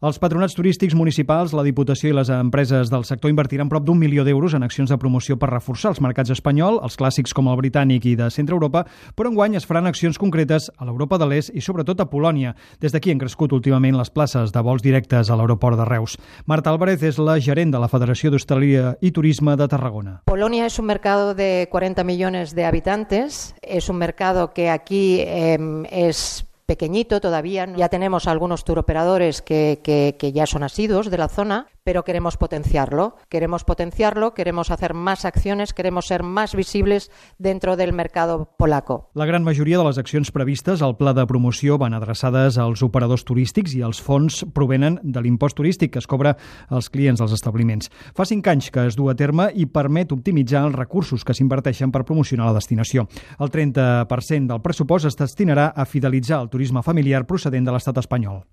Els patronats turístics municipals, la Diputació i les empreses del sector invertiran prop d'1 milió d'euros en accions de promoció per reforçar els mercats espanyol, els clàssics com el britànic i de centre Europa, però enguany es faran accions concretes a l'Europa de l'Est i sobretot a Polònia. Des d'aquí han crescut últimament les places de vols directes a l'aeroport de Reus. Marta Álvarez és la gerent de la Federació d'Hostaleria y Turismo de Tarragona. Polonia es un mercado de 40 millones de habitantes, es un mercado que aquí es pequeñito todavía. Ya tenemos algunos turoperadores que ya son asiduos de la zona, pero queremos potenciarlo, queremos hacer más acciones, queremos ser más visibles dentro del mercado polaco. La gran majoria de les accions previstes al pla de promoció van adreçades als operadors turístics i els fons provenen de l'impost turístic que es cobra als clients dels establiments. Fa 5 anys que es du a terme i permet optimitzar els recursos que s'inverteixen per promocionar la destinació. El 30% del pressupost es destinarà a fidelitzar el turisme familiar procedent de l'estat espanyol.